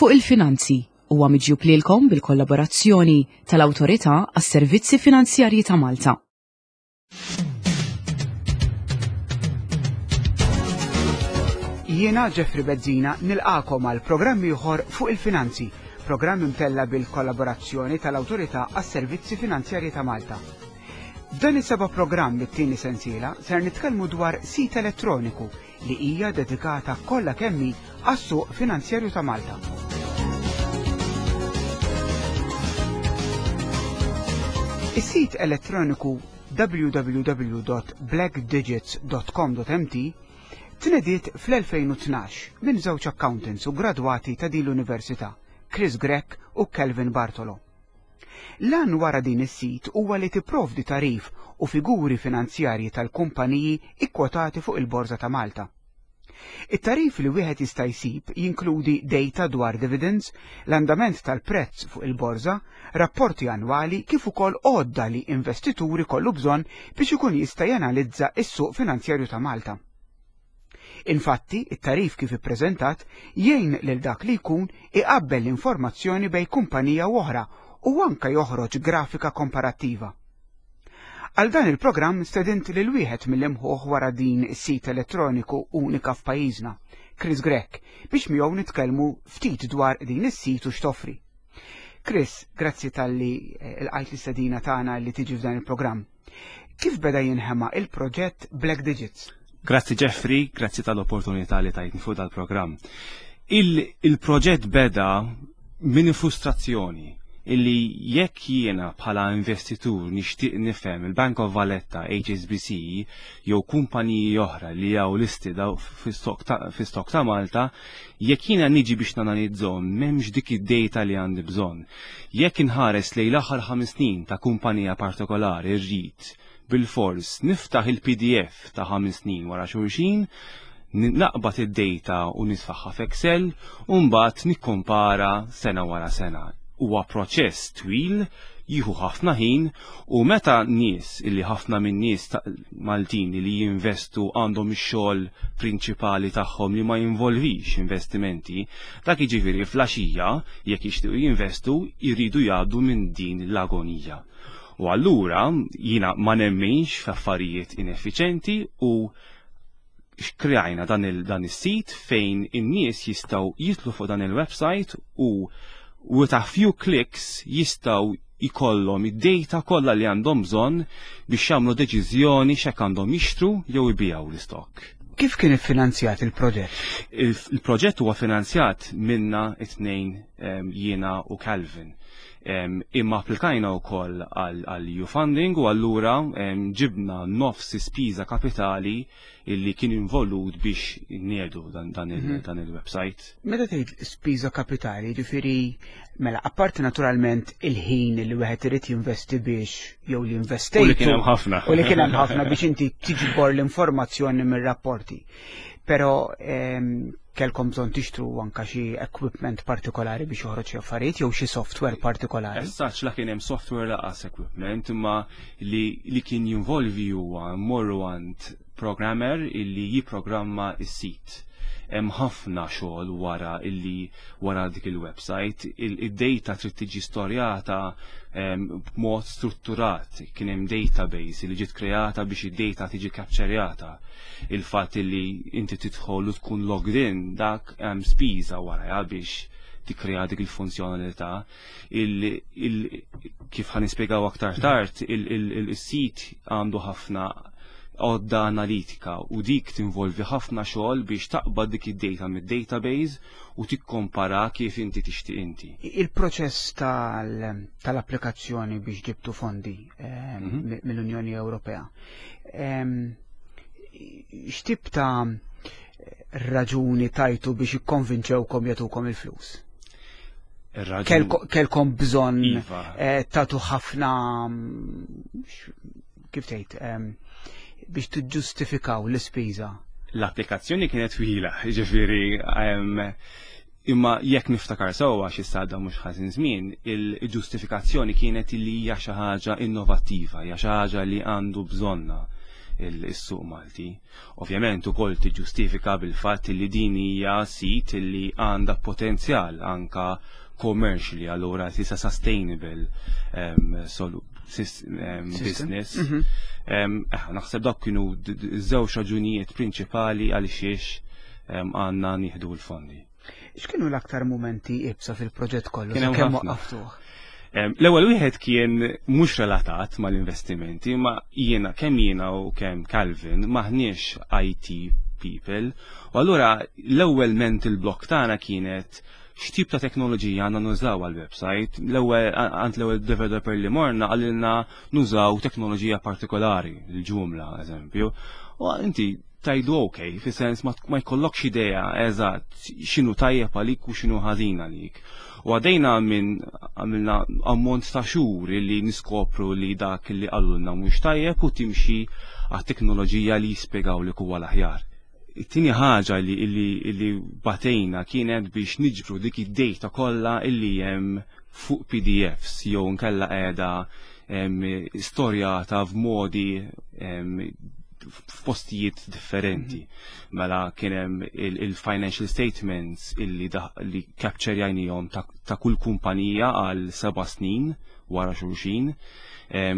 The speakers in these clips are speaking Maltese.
Fuq il-Finanzi huwa miġjub lilkom bil-kollaborazzjoni tal-Awtorità għas-Servizzi Finanzjarji ta' Malta. Jiena Jeffrey Bezzina nilqakom għal programm ieħor fuq il-finanzi, programm imtella bil-kollaborazzjoni tal-Awtorità għas-Servizzi Finanzjarji ta' Malta. F'dan is-seba' programm mit-tieni sensiela ser nitkellmu dwar sit elettroniku li hija dedikata kollha kemm hi għas-suq finanzjarju ta' Malta. Is-sit elettroniku www.blackdigits.com.mt tnediet fl-2012 minn żewġ accountants u gradwati ta' din l-università, Chris Grech u Kelvin Bartolo. L-għan wara din is-sit huwa li tipprovdi tagħrif u figuri finanzjarji tal-kumpaniji kkwotati fuq il-Borża ta' Malta. It-tagħrif li wieħed jista' jsib jinkludi data dwar dividends, l-andament tal-prezz fuq il-borża, rapporti annwali kif ukoll għodda li investitur ikollu bżonn biex ikun jista' janalizza s-suq finanzjarju ta' Malta. Infatti, it-tagħrif kif ippreżentat jgħin lil dak li jkun iqabbel l-informazzjoni bejn kumpanija u oħra u anke joħroġ grafika komparattiva. Għal dan il-programm stedint lil wieħed mill-imħuħ wara din is-sit elettroniku unika f'pajjiżna, Chris Grech, biex miegħu nitkellmu ftit dwar din is-sit u x'toffri. Chris, grazzi talli lqajt l-istedina tagħna li tiġi f'dan il-programm. Kif beda jinħema il-proġett Black Digits? Grazzi Jeffrey, grazzi tal-opportunità li tajtni fuq dal-programm. Il-proġett beda minn frustrazzjoni illi jekk jiena bħala investitur nixtieq nifhem il-Bank of Valletta, HSBC jew kumpaniji oħra li hawn listed fis-stock ta' Malta, jekk jiena niġi biex nanalizzhom m'hemmx dik id-data li għandi bżonn. Jekk inħares lejn l-aħħar ħames snin ta' kumpanija partikolari rrid bilfors niftaħ il-PDF ta' ħames snin wara xulxin, naqbad id-data u nitfagħha f'Excel u mbagħad nikkompara sena wara sena. Huwa proċess twil, jieħu ħafna ħin u meta nies illi ħafna minn nies Maltin li jinvestu għandhom ix-xogħol prinċipali tagħhom li ma jinvolvix investimenti, dak jiġifieri fl-għaxija jekk jixtiequ jinvestu jridu jgħaddu minn din l-agonija. U allura jiena ma nemminx f'affarijiet ineffiċenti u kreajna dan il dan is-sit fejn in-nies jistgħu jitlu fuq dan il-website u with a few clicks jistgħu jkollhom id-data kollha li għandhom bżonn biex jagħmlu deċiżjoni x'hekk għandhom jixtru jew ibigħu l-istokk. Kif kien iffinanzjat il-proġett? Il-proġett huwa finanzjat minna it-tnejn jiena u Calvin. Imma applikajna wkoll għal EU funding u allura ġibna nofs ispiża kapitali illi kien involut biex niedu dan mhm. il-website. Meta tgħid spiża kapitali, ġifieri mela apparti naturalment il-ħin li wieħed irid jinvesti biex jew li investejt. U li kien hemm ħafna. U li kien hemm ħafna biex inti tiġbor l-informazzjoni mir-rapporti. Però kellkom bżonn tixtru anka xi equipment partikolari biex joħroġ xi affarijiet jew xi software partikolari. As la kien hemm software laqas equipment imma li, li kien jinvolvi huwa mmorru għand programmer illi jipprogramma s-sit. Hemm ħafna xogħol wara illi wara dik il-website, id-data trid tiġi storjata ehm, b'mod strutturat. Kien hemm database li ġiet kreata biex id-data tiġi capturjata il-fatt li inti tidħol u tkun logged in dak hemm spiża warajha biex tikkrea dik il-funzjonalità. Kif ħa nispjegaw aktar tard, il-sit għandu ħafna għodda analitika u dik tinvolvi ħafna xogħol biex taqbad dik id-data mid-database u tikkompara kif inti tixtieq inti. Il-proċess tal-applikazzjoni biex ġibtu fondi eh, mhm. mill-Unjoni Ewropea x'tip ta' raġuni tajtu biex ikkonvinċewkom jagħtukom il-flus? Kelkom bżonn iva. eh, tagħtu ħafna mm, kif tgħid biex tiġġustifikaw l-ispiża. L-applikazzjoni kienet twila, ġifieri Imma jekk niftakar sewwa għax issa għadda mhux ħażin żmien, il-ġustifikazzjoni kienet li hija xi ħaġa innovattiva, hija xi ħaġa li għandu bżonnha. il-suq Malti. Ovvjament ukoll tiġġustifika bil-fatt li din hija sit li għandha potenzjal anka commercially, allura tisa sustainable business. Naħseb dawk kienu żewġ raġunijiet prinċipali għaliex għandna nieħdu l-fondi. X'kienu l-aktar momenti iebsa fil-proġett kollu? Kien hemm Kemm ħafna. waqqaftuh? L-ewwel wieħed kien mhux relatat mal-investimenti, ma jiena, kemm jiena u kemm Calvin, maħniex IT people. U allura l-ewwel mental block tagħna kienet x'tip ta' teknoloġija għandna nużaw għal-website. L-ewwel għand l-ewwel developer li morna qalilna nużaw teknoloġija partikolari, il-Joomla eżempju. U inti tgħidu ok, fi sens ma jkollokx idea eżatt x'inhu tajjeb għalik u x'inhu ħażin għalik. U għadejna minn għamilna ammont ta' xhur li niskopru li dak li qalulna mhux tajjeb u timxi għat-teknoloġija li jispjegaw li huwa l-aħjar. It-tieni ħaġa li batejna kienet biex niġbru dik id-data kollha illi hemm fuq PDFs jew nkella qiegħda storjata f'modi f'postijiet differenti. Mela kien hemm il-financial statements illi li capture-jajnihom ta' kull kumpanija għal 7 snin wara xulxin.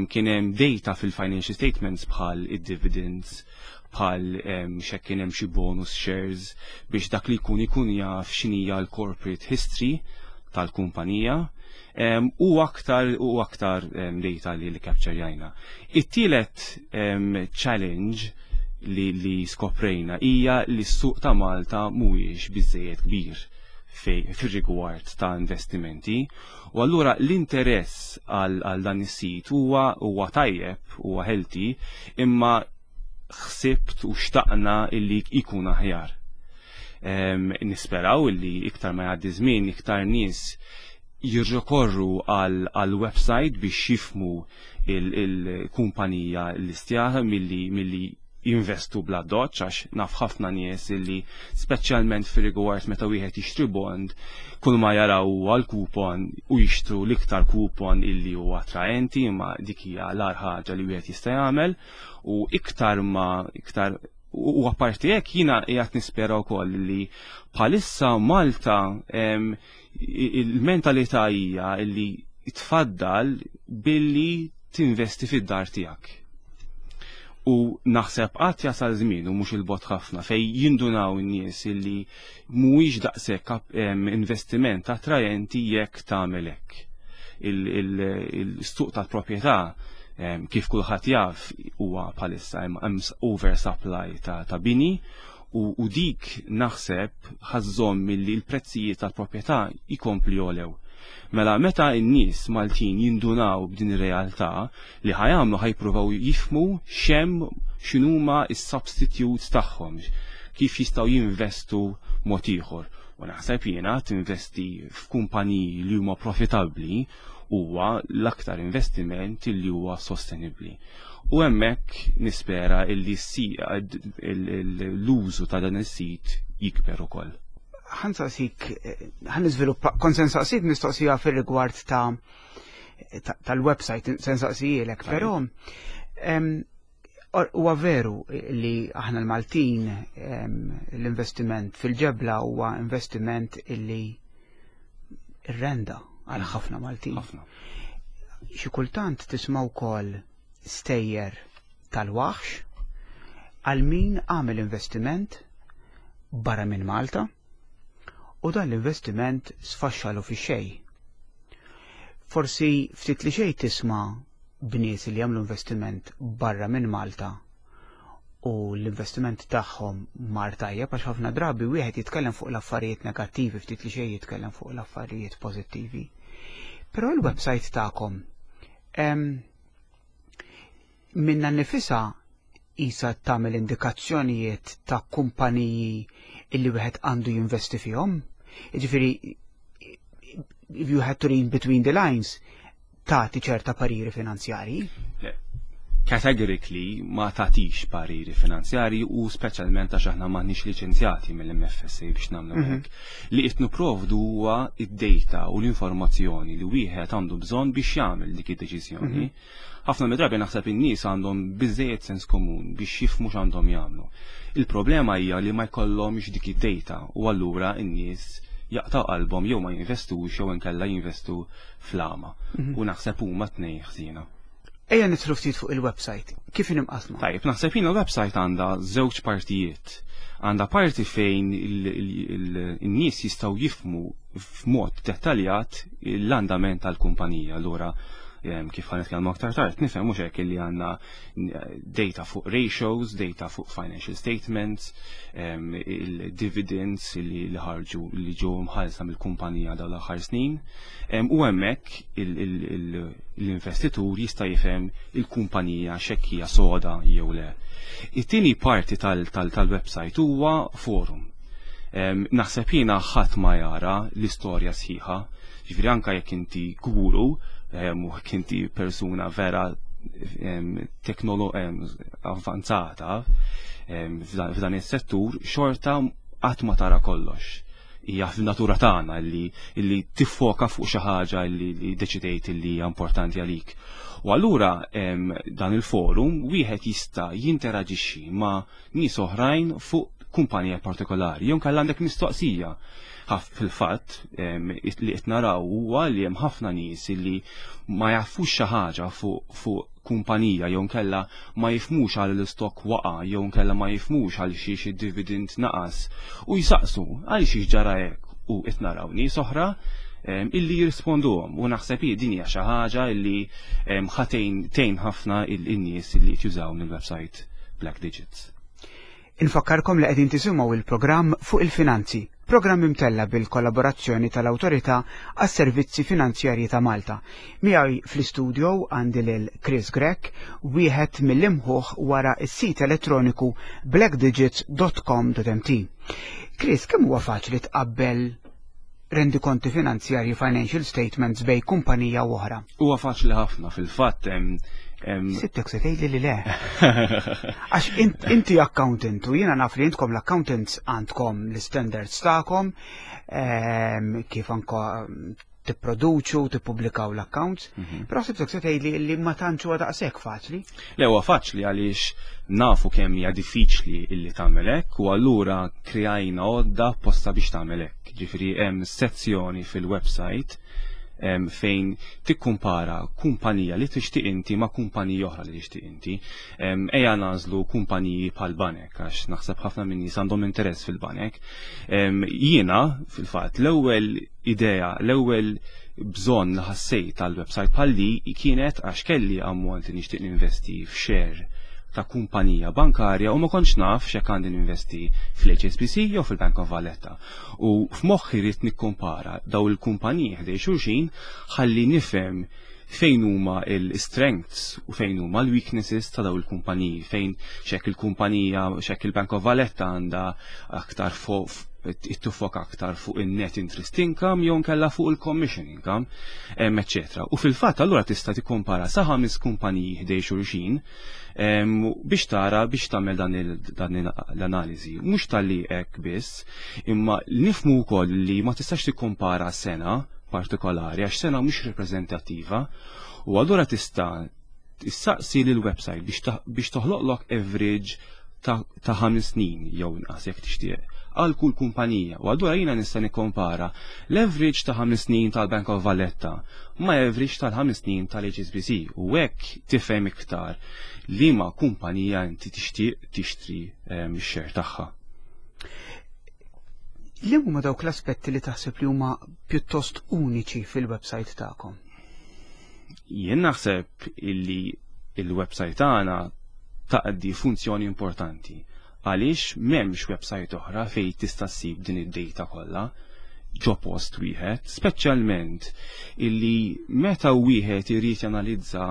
Kien hemm data fil-financial statements bħal id-dividends, bħal x'hekk kien hemm xi bonus shares, biex dak li jkun ikun jaf x'inhija l-corporate history tal-kumpanija. U aktar u aktar data li capture-jajna. It-tielet challenge li skoprejna hija li s-suq ta' Malta mhuwiex biżejjed kbir fir-rigward ta' investimenti u allura l-interess għal dan is-sit huwa tajjeb, huwa healthy, imma ħsibt u xtaqna illi ikun aħjar. Nisperaw illi iktar ma jgħaddi żmien, iktar nies jirrikorru għal website biex jifhmu il-kumpanija l-istjata milli jinvestu bla doċ, għax naf ħafna nies illi, speċjalment fir rigward meta wieħed jixtri bond, kull ma jaraw huwa l-coupon u jixtru l-iktar coupon illi huwa attraenti, imma dik hija l-agħar ħaġa li wieħed jista' jagħmel. U iktar ma iktar u apparti hekk, jiena qiegħed nispera wkoll li bħalissa Malta il-mentalità hija li tfaddal billi tinvesti fid-dar tiegħek. U naħseb qatt jasal żmien, u mhux il-bogħod ħafna, fej jindunaw in-nies illi mhuwiex daqshekk investiment attrajenti jekk tagħmel hekk. Il-suq tal-proprjetà, kif kulħadd jaf, huwa bħalissa hemm oversupply ta' bini u dik naħseb ħa żżomm milli l-prezzijiet tal-proprjetà jkompli jogħlew. Mela meta n-nies Maltin jindunaw b'din ir-realtà, li ħa jagħmlu, ħa jippruvaw jifhmu x'hemm, x'inhuma is-substitutes tagħhom, kif jistgħu jinvestu mod ieħor. U naħseb jiena tinvesti f'kumpaniji li huma profitabbli huwa l-aktar investiment li huwa sostenibbli. U hemmhekk nispera illi l-użu ta' dan is-sit jikber ukoll. Ħa nsaqsik, ħa niżviluppa, kont se nsaqsik mistoqsija fir-rigward tal-website, se nsaqsijilek, però huwa veru li aħna l-Maltin l-investiment fil-ġebla huwa investiment illi renda għal ħafna Maltin. Ħafna. Xi kultant tisma' wkoll stejjer tal-waħx għal min għamel investiment barra minn Malta u dan l-investiment sfaxxalu fi xej. Forsi ftit li xej tisma' bnies li jagħmlu investiment barra minn Malta u l-investiment tagħhom mar tajjeb, għax ħafna drabi wieħed jitkellem fuq l-affarijiet negattivi, ftit li xejn jitkellem fuq l-affarijiet pożittivi. Però l-website tagħkom minna nifisa isa tagħmel indikazzjonijiet ta' kumpaniji illi wieħed għandu jinvesti fihom. Jiġifieri, if you had to read between the lines, tagħti ċerta pariri finanzjarji. Le. Categorically ma tagħtix pariri finanzjarji u speċjalment għax aħna m'aħniex liċenzjati mill-MFSA biex nagħmlu hekk. Li qed nipprovdu huwa id-data u l-informazzjoni li wieħed għandu bżonn biex jagħmel dik id-deċiżjoni. Ħafna mid-drabi naħseb in-nies għandhom biżejjed sens komun biex jifhmu x'għandhom jagħmlu. Il-problema hija li ma jkollhomx dik id-data u allura n-nies jaqtaw qalbhom jew ma jinvestux jew inkella jinvestu fl-għama. U naħseb huma tnejn ħżiena. Ejja nidħlu ftit fuq il-website. Kif inhi mqassma? Tajjeb, naħseb jiena l-website għandha żewġ partijiet. Għandha parti fejn in-nies jistgħu jifhmu f'mod dettaljat l-andament tal-kumpanija. Allura kif ħa nitkellmu aktar tard, nifhem mhux hekk li għandna data fuq ratios, data fuq financial statements, il-dividends li ħarġu li ġew mħallsa mill-kumpanija dawn l-aħħar snin. U hemmhekk l-investitur jista' jifhem il-kumpanija x'hekk hija soda jew le. It-tieni parti tal-website huwa forum. Naħseb jiena ħadd ma jara l-istorja sħiħa, ġifieri anke jekk inti guru u jekk inti persuna vera avvanzata f'dan is-settur, xorta qatt ma tara kollox. Hija f'natura tagħna li tiffoka fuq xi ħaġa li deċidejt li hija importanti għalik. U allura dan il-forum wieħed jista' jinteraġixxi ma' nies oħrajn fuq kumpanija partikolari, jew inkella għandek mistoqsija. Ħaf fil-fatt li qed naraw huwa li hemm ħafna nies li ma jafux xi ħaġa fuq kumpanija jew inkella ma jifhmux għal l-stock waqa' jew inkella ma jifhmux għal xiex id-dividend naqas u jsaqsu għal xiex ġara hekk u qed naraw nies oħra illi jirrisponduhom u naħseb hi din hija xi ħaġa illi ħa tgħin ħafna in-nies illi qed jużaw il-website Black Digits. Infakkarkom li qegħdin tisimgħu il-programm fuq il-finanzi, programm imtella bil-kollaborazzjoni tal-Awtorità għas-Servizzi Finanzjarji ta' Malta. Miegħi fl-istudio għandi lil Chris Grech, wieħed mill-imħuħ wara s-sit elettroniku blackdigits.com.mt. Chris, kemm huwa faċli tqabbel rendikonti finanzjarji financial statements bejn kumpanija u oħra? Huwa faċli ħafna fil-fatt Sibtek se tgħidli li le. Għax inti accountant u jiena naf li intkom l-accountants għandkom l-standards tagħkom kif anka tipproduċu, tippubblikaw l-accounts, però sibtek se tgħidli li ma tantx huwa daqshekk faċli. Le huwa faċli għaliex nafu kemm hija diffiċli illi tagħmel hekk u allura kreajna għodda apposta biex tagħmel hekk. Ġifieri hemm sezzjoni fil-website fejn tikkumpara kumpanija li tixtieq inti ma' kumpanija oħra li tixtieq inti. Ejja nagħżlu kumpaniji bħal banek għax naħseb ħafna minn nies għandhom interess fil-banek. Jiena fil-fatt l-ewwel idea, l-ewwel bżonn li ħassejt tal-website bħal li kienet għax kelli ammont li nixtieq ninvesti f'share ta' kumpanija bankarja u ma kontx naf x'hekk għandi ninvesti fl-HSBC jew fil-Bank of Valletta. U f'moħħi rrid nikkumpara daw il-kumpaniji ħdej xulxin ħalli nifhem fejn huma l-strengths u fejn huma l-weaknesses ta' daw il-kumpaniji, fejn x'hekk il-kumpanija, x'hekk il-Bank of Valletta għandha aktar tiffoka aktar fuq il-net interest income jew nkella fuq il-commission income, eccetera. U fil-fatt allura tista' tikkompara sa ħames kumpaniji ħdej xulxin biex tara biex tagħmel dan l-analiżi. Mhux talli hekk biss, imma nifhmu wkoll li ma tistax tikkompara sena partikolari għax sena mhux reprezentattiva u allura tista' tissaqsi lil website biex toħloqlok average ta' 5 snin jew inqas jekk tixtieq għal kull kumpanija. U allura jiena nista' nikkompara l-average ta' 5 snin tal-Bank of Valletta ma' average tal-5 snin tal-HSBC u hekk tifhem iktar liema kumpanija inti tixtieq tixtri x-share tagħha. Li huma dawk l-aspetti li taħseb li huma pjuttost uniċi fil-website tagħkom? Jien naħseb illi il-website tagħna taqdi funzjoni importanti għaliex m'hemmx website oħra fejn tista' ssib din id-data kollha ġo post wieħed, speċjalment illi meta wieħed irid janalizza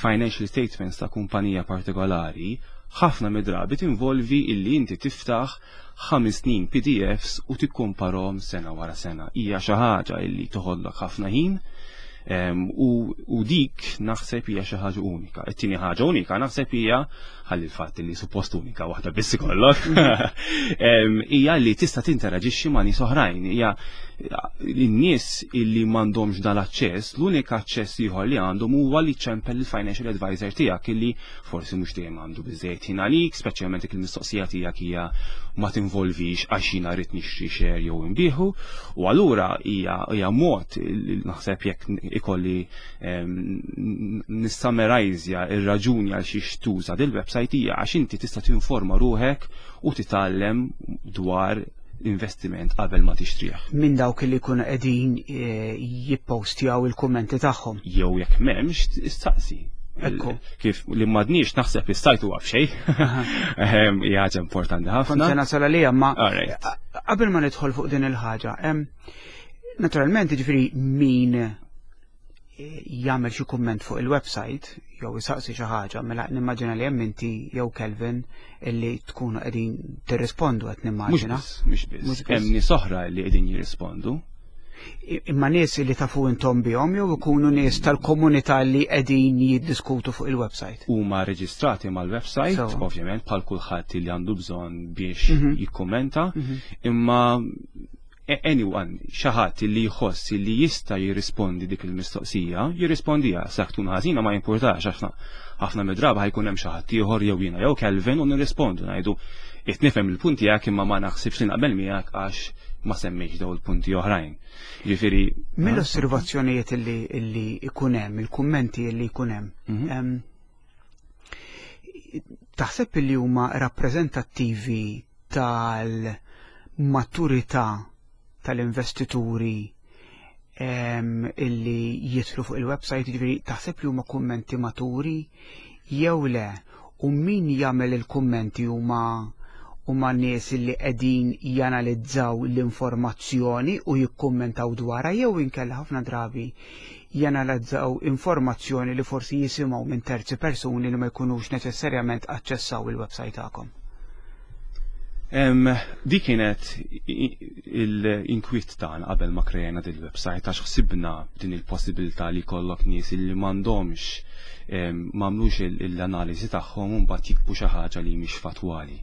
financial statements ta' kumpanija partikolari, ħafna mid-drabi tinvolvi illi inti tiftaħ 5 snin PDFs u tikkomparhom sena wara sena. Hija xi ħaġa illi toħodlok ħafna ħin. U dik naħseb hija xi ħaġa unika. It-tieni ħaġa unika naħseb hija, ħalli l-fatt li suppost unika waħda biss ikollok, hija li tista' tinteraġixxi ma' nies oħrajn. Hija n-nies illi m'għandhomx dan l-aċċess, l-unika aċċess ieħor li għandhom huwa li ċempel il-financial advisor tiegħek, illi forsi mhux dejjem għandu biżejjed ħin għalik, speċjalment jekk il-mistoqsija tiegħek hija ma tinvolvix għax jiena rrid nixtri share jew inbiegħu. U allura hija mod, naħseb, jekk ikolli nissamerajzja ir-raġuni għal xiex tuża dil-website, hija għax inti tista' tinforma ruħek u titgħallem dwar investiment qabel ma tixtrih. Minn dawk li jkunu qegħdin jippostjaw il-kummenti tagħhom. Jew jekk m'hemmx, istaqsi. Kif li m'għadniex naħseb is-site huwa b'xejn. Hija ħaġa importanti ħafna. Kont se nasal għalija, ma qabel ma nidħol fuq din il-ħaġa, naturalment, ġifieri, min jagħmel xi kumment fuq il-website jew isaqsi xi ħaġa, mela nimmaġina li hemm inti jew Kelvin illi tkunu qegħdin tirrispondu, qed nimmaġina. Mhux biss. Hemm nies oħra li qegħdin jirrispondu. Imma nies li tafu intom bihom jew ikunu nies tal-komunità li qegħdin jiddiskutu fuq il-website? Huma reġistrati mal-website, ovvjament, bħal kulħadd li għandu bżonn biex jikkummenta, imma anyone, xi ħadd li jħoss li jista' jirrispondi dik il-mistoqsija, jirrispondija. Sa tkun ħażina ma jimpurtax, għax ħafna mid-drabi ħa jkun hemm xi ħadd ieħor, jew jiena jew Kelvin, u nirrispondu, ngħidu: "Qed nifhem il-punti tiegħek, imma ma naħsibx li naqbel miegħek għax ma semmejx daw il-punti oħrajn." Ġifieri Mill-osservazzjonijiet illi ikun hemm, il-kummenti illi jkun hemm, taħseb li huma rappreżentattivi tal-maturità tal-investituri illi jidħlu fuq il-website, ġifieri taħseb li huma kummenti maturi jew le? U min jagħmel il-kummenti, huma nies li qegħdin janalizzaw l-informazzjoni u jikkummentaw dwarha, jew inkella ħafna drabi janalizzaw informazzjoni li forsi jisimgħu minn terzi persuni li ma jkunux neċessarjament aċċessaw il-website tagħkom? Di kienet l-inkwiet tagħna qabel ma krejna din il-website, għax ħsibna din il-possibilità li jkollok nies li m'għandhomx, m'għamlux l-analiżi tagħhom u mbagħad jiktbu xi ħaġa li mhix fatwali.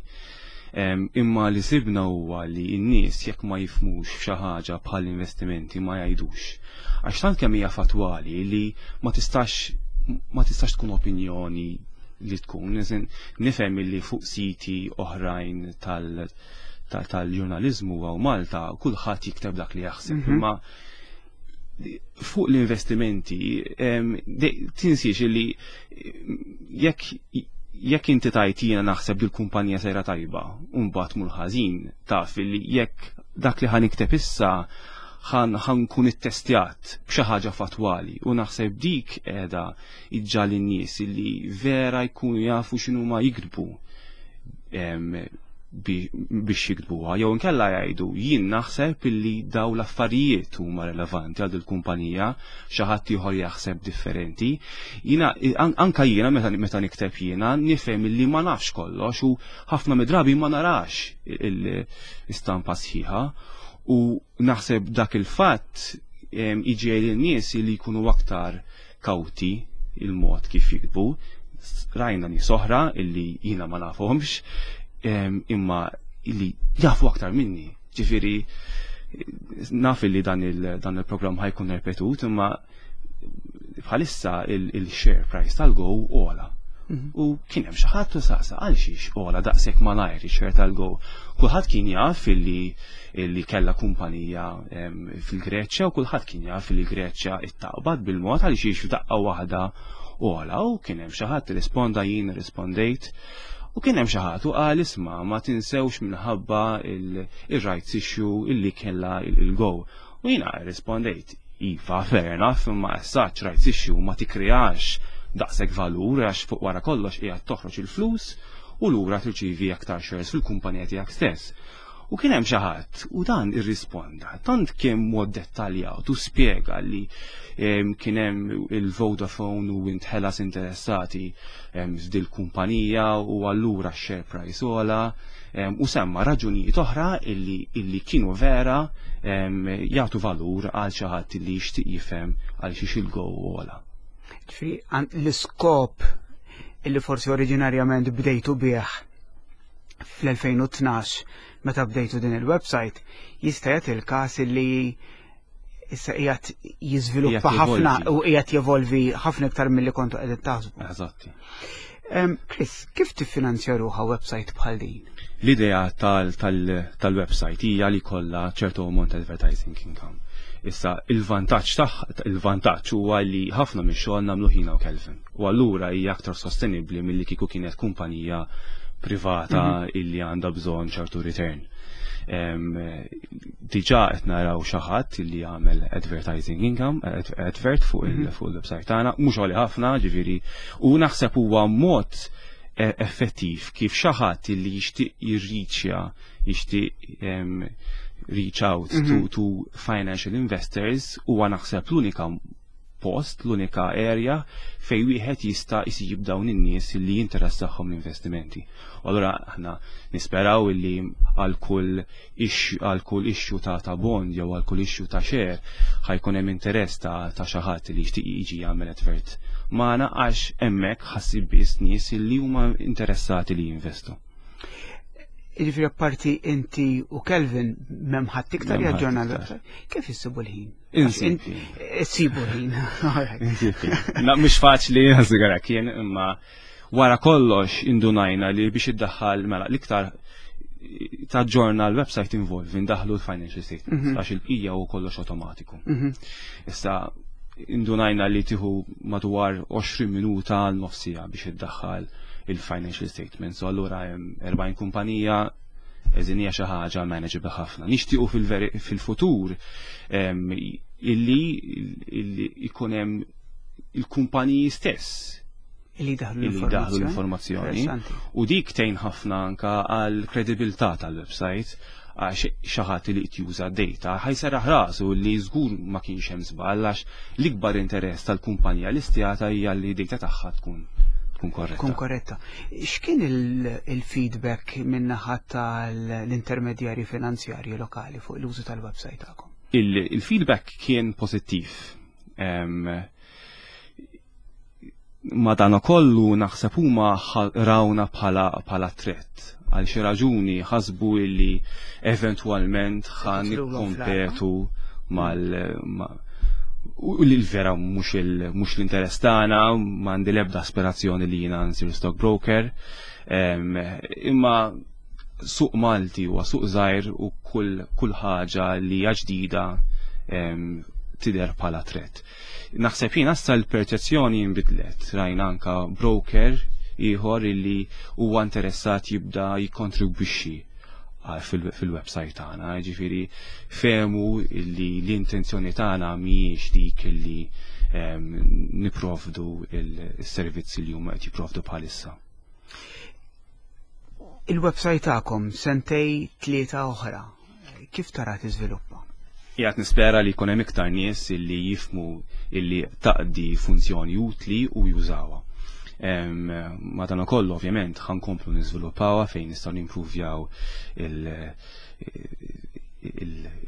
Imma li sibna huwa li n-nies jekk ma jifhmux f'xi ħaġa bħal investimenti ma jgħidux. Għax tant kemm hija fatwali li ma tistax tkun opinjoni li tkun. Nifhem li fuq siti oħrajn tal-ġurnalizmu għaw Malta kulħadd jikteb dak li jaħseb. Imma fuq l-investimenti tinsiex li jekk inti tajt jiena naħseb li l-kumpanija sejra tajba u mbagħad mur ħażin, taf li jekk dak li ħa nikteb issa ħa nkun ittestjat b'xi ħaġa fatwali, u naħseb dik qiegħda iġġagħal in-nies li vera jkunu jafu x'inhu ma jiktbu biex jiktbuha, jew inkella jgħidu: "Jien naħseb illi daw l-affarijiet huma relevanti għal il-kumpanija", xi ħadd ieħor jaħseb differenti. Jiena anka jiena meta nikteb jiena nifhem illi ma nafx kollox u ħafna mid-drabi ma narax l-istampa sħiħa, u naħseb dak il-fatt iġiegħel in-nies li jkunu aktar kawti il-mod kif jiktbu. Rajna nies oħra illi jiena ma nafhomx, imma illi jafu aktar minni. Ġifieri naf illi dan il-programm ħa jkun repetut, imma bħalissa il-share price tal-Go għola. U kien hemm xi ħadd u saqsa għal xiex għola daqshekk malajr ix-share tal-Go. Kulħadd kien jaf illi kellha kumpanija fil-Greċja u kulħadd kien jaf illi Greċja ittaqbad bil-mod, għal xiex f'daqqa waħda għola? U kien hemm xi ħadd risponda, jien rispondejt. U kien hemm xi ħadd u qal: "Isma', ma tinsewx minħabba il-rights issue illi kellha il-Go." U jiena rispondejt: "Iva, fair enough, imma as such rights issue ma tikkreax daqshekk valur, għax fuq wara kollox qiegħed toħroġ il-flus u lura tirċievi aktar shares fil-kumpanija tiegħek stess." U kien hemm xi ħadd u dan irrisponda, tant kien mod dettaljat u spjega li kien hemm il-Vodafone u Int Hellas interessati f'dil kumpanija u allura share price ogħla u semma raġunijiet oħra illi kienu vera jagħtu valur għal xi ħadd illi jixtieq jifhem għal xiex il-Go ogħla. Ġifieri l-iskop illi forsi oriġinarjament bdejtu bih fl-2012 meta bdejtu din il-website jista' jagħti il-każ li issa qiegħed jiżviluppa ħafna u qiegħed jevolvi ħafna iktar milli kontu qegħdin taħsbu. Eżatti. Chris, kif tiffinanzja ruħha website bħal din? L-idea tal-website hija li kollha ċertu ammont advertising income. Issa il-vantaġġ huwa li ħafna mix-xogħol nagħmlu jiena u Kelvin. U allura hija aktar sostenibbli milli kieku kienet kumpanija privata illi għandha bżonn ċertu return. Diġà qed naraw xi ħadd illi jagħmel advertising income, advert fuq il-website tagħna, mhux għoli ħafna, ġifieri, u naħseb huwa mod effettiv kif xi ħadd illi jixtieq jirriċja, jixtieq reach out to financial investors huwa naħseb l-unika post, l-unika area fej wieħed jista' jsib dawn in-nies li jinteressahom l-investimenti. U allura aħna nisperaw li għal kull issue ta' bond jew għal kull issue ta' share ħa jkun hemm interess ta' xi ħadd li jixtieq jiġi jagħmel advert magħna għax hemmhekk ħa ssib biss nies li huma interessati li jinvestu. Jiġifieri apparti inti u Kelvin m'hemm ħadd iktar M'hemm ħadd jaġġorna iktar. l-website. Kif issibu l-ħin? Insib. Issibu l-ħin. Insib. Na, mhux faċli sigara kien imma wara kollox indunajna li biex iddaħħal mela l-iktar taġġorna l-website involvi ndaħlu l-financial statements għax il-bqija u kollox automatiku. Issa indunajna li tieħu madwar 20 minuta għal nofs siegħa biex iddaħħal il-financial statements. So allura hemm 40 kumpanija eżin hija xi ħaġa manageable ħafna. Nixtiequ fil-futur illi ikun hemm il-kumpaniji stess Illi daħlu illi daħlu l-informazzjoni. Interessanti. U dik tgħin ħafna anka għal kredibilità tal-website għax xi ħadd li qed juża data ħa jserraħ rasu li żgur ma kienx hemm żball għax l-ikbar interess tal-kumpanija listjata hija li data tagħha tkun korretta. Tkun korretta. X'kien il-feedback min-naħa tal-intermedjarji finanzjarji lokali fuq l-użu tal-website tagħkom? Il-feedback kien pożittiv. Ma dan kollu naħseb huma rawna bħala threat. Għal xi raġuni ħasbu illi eventwalment ħa Tidħlulhom nikkompetu mal u li l-vera mhux l-interess tagħna, m'għandi l-ebda aspirazzjoni li jiena nsir stockbroker. Imma suq Malti huwa suq żgħir u kull ħaġa li hija ġdida tidher bħala threat. Naħseb jiena issa l-perċezzjoni nbidlet, rajna anka broker ieħor illi huwa interessat jibda jikkontribwixxi fil-website tagħna, ġifieri fehmu illi l-intenzjoni tagħna mhijiex dik illi niprovdu il-servizzi li huma qed jipprovdu bħalissa. Il-website tagħkom sentej tlieta oħra, kif tara tiżviluppa? Qiegħed nispera li jkun hemm iktar nies illi jifhmu illi taqdi funzjoni utli u jużawha. Madankollu ovvjament ħa nkomplu niżviluppawha fejn nistgħu nimprovjaw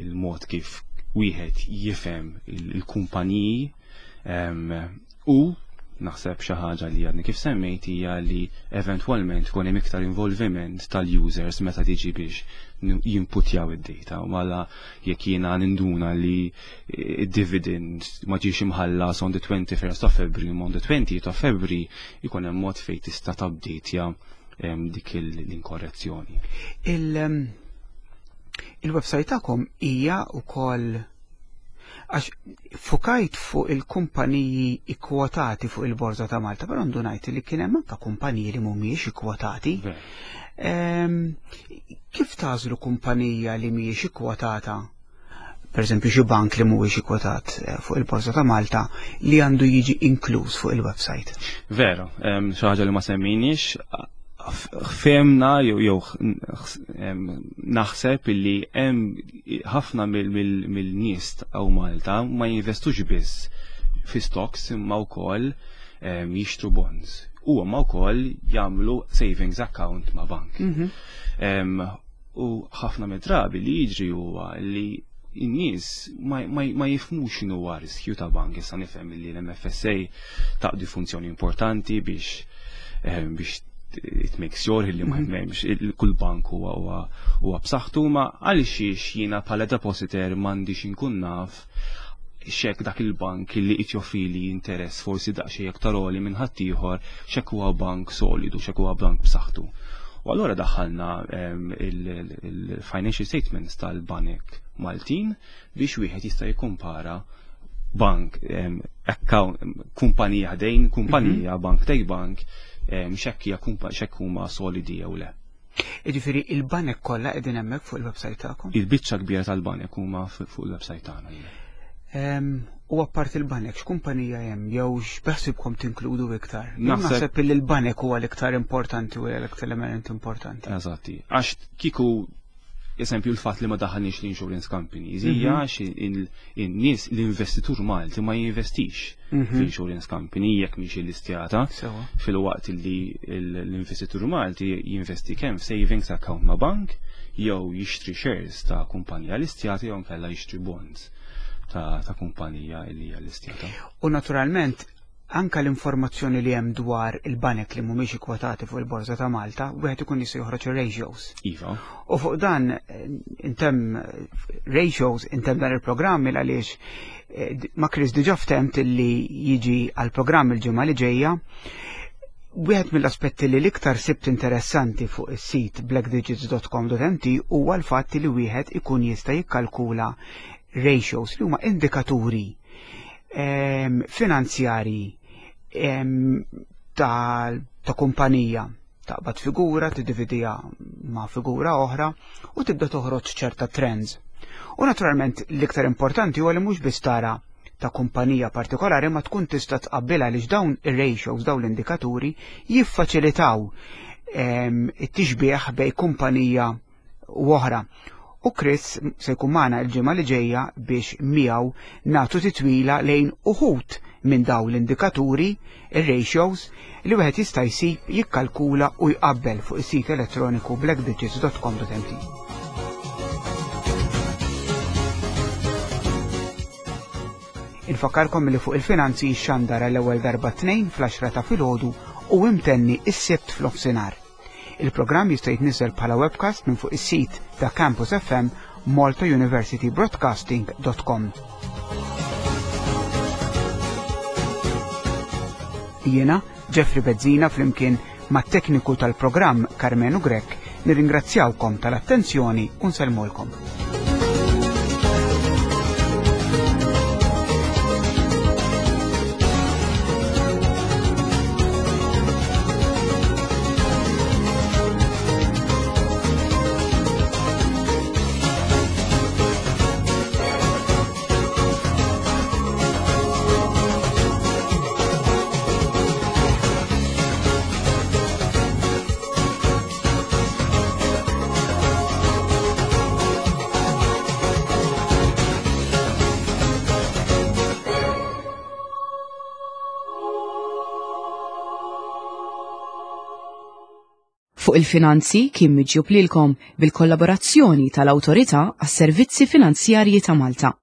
il-mod kif wieħed jifhem il-kumpaniji u naħseb xi ħaġa li għadni kif semmejt hija li eventwalment ikun hemm iktar involviment tal-users meta tiġi biex jimputjaw id-data. U mela jekk jiena ninduna li id-dividend ma ġiex imħallas on the 21st of February on the 20th of February ikun hemm mod fejn tista' tabdejtja dik l-inkorrezzjoni. Il-website tagħkom hija wkoll għax fukajt fuq il-kumpaniji ikkwotati fuq il-Borża ta' Malta, però ndunajt li kien hemm anke kumpaniji li mhumiex ikkwotati. Kif tagħżlu kumpanija li mhijiex ikkwotata? Per eżempju xi bank li mhuwiex ikkwotat fuq il-Borża ta' Malta li għandu jiġi inkluż fuq il-website. Vera, xi ħaġa li ma semmejniex, Fehmna jew naħseb illi hemm ħafna mill-nies hawn Malta ma jinvestux biss fi stocks imma wkoll jixtru bonds. U huma wkoll jagħmlu savings account ma' bank. U ħafna mid-drabi li jiġri huwa li n-nies ma jifhmux x'inhu huwa riskju ta' bank. Issa nifhem li l-MFSA taqdi funzjoni importanti biex it makes sure li ma hemmx kull bank huwa b'saħħtu, ma għalxiex jiena bħala depositor m'għandix inkun naf xek dak il-bank li qed joffrili interess forsi daqsxejn aktar għoli minn ħaddieħor, xek huwa bank solidu, xek huwa bank b'saħħtu. U allura daħħalna il-financial statements tal-banek Maltin biex wieħed jista' jikkumpara bank, account, kumpanija ħdejn kumpanija, bank tej bank, xekk hija xekk huma solidi jew le. Jiġifieri il-banek kollha qegħdin hemmhekk fuq il-website tagħkom? Il-biċċa kbira tal-banek huma fuq il-website tagħna. U apart il-banek, x'kumpanija hemm jew x'beħsibkom tinkludu iktar? Naħseb li l-banek huwa l-iktar importanti u l-iktar element importanti. Eżatti. Għax kieku eżempju l-fatt li ma daħalniex l-insurance companies hija għax in-nies, l-investitur Malti ma jinvestix fl-insurance company jekk mhix illistjata. Filwaqt li l-investitur Malti jinvesti kemm f'savings account ma' bank jew jixtri shares ta' kumpanija listjata jew nkella jixtri bonds ta' kumpanija li hija listjata. U naturalment anka l-informazzjoni li hemm dwar il-banek li mhumiex ikkwotati fuq il-Borża ta' Malta, wieħed ikun jista' joħroġ ir-ratios. Iva. U fuq dan intemm ratios, intemm dan il-programm il għaliex ma' Chris diġà ftemt li jiġi għall-programm il-ġimgħa li ġejja. Wieħed mill-aspetti li l-iktar sibt interessanti fuq is-sit blackdigits.com.mt huwa l-fatt li wieħed ikun jista' jikkalkula ratios li huma indikaturi finanzjari ta' kumpanija. Taqbad figura, tiddividija ma' figura oħra u tibda toħroġ ċerta trends. U naturalment l-iktar importanti huwa li mhux biss tara ta' kumpanija partikolari ma tkun tista' tqabbilha għaliex dawn ir-ratios, dawn l-indikaturi jiffaċilitaw it-tixbih bej kumpanija u oħra. U Chris se jkun magħna l-ġimgħa li ġejja biex miegħu nagħtu titwila lejn uħud minn dawn l-indikaturi, ir-ratios, li wieħed jista' jsib, jikkalkula u jqabbel fuq is-sit elettroniku blackdigits.com.mt. Infakkarkom li fuq il-finanzi xandar għall-ewwel darba t-Tnejn fl-10 ta' filgħodu u imtenni s-Sibt f'nofsinhar. Il-programm jista' jitniżel bħala webcast minn fuq is-sit ta' Campus FM maltauniversitybroadcasting.com. Jiena, Jeffrey Bezzina, flimkien mat-tekniku tal-programm Karmenu Grech, nirringrazzjawkom tal-attenzjoni u nsellmulkom. Fuq il-finanzi kien miġjub lilkom bil-kollaborazzjoni tal-Awtorità għas-Servizzi Finanzjarji ta' Malta.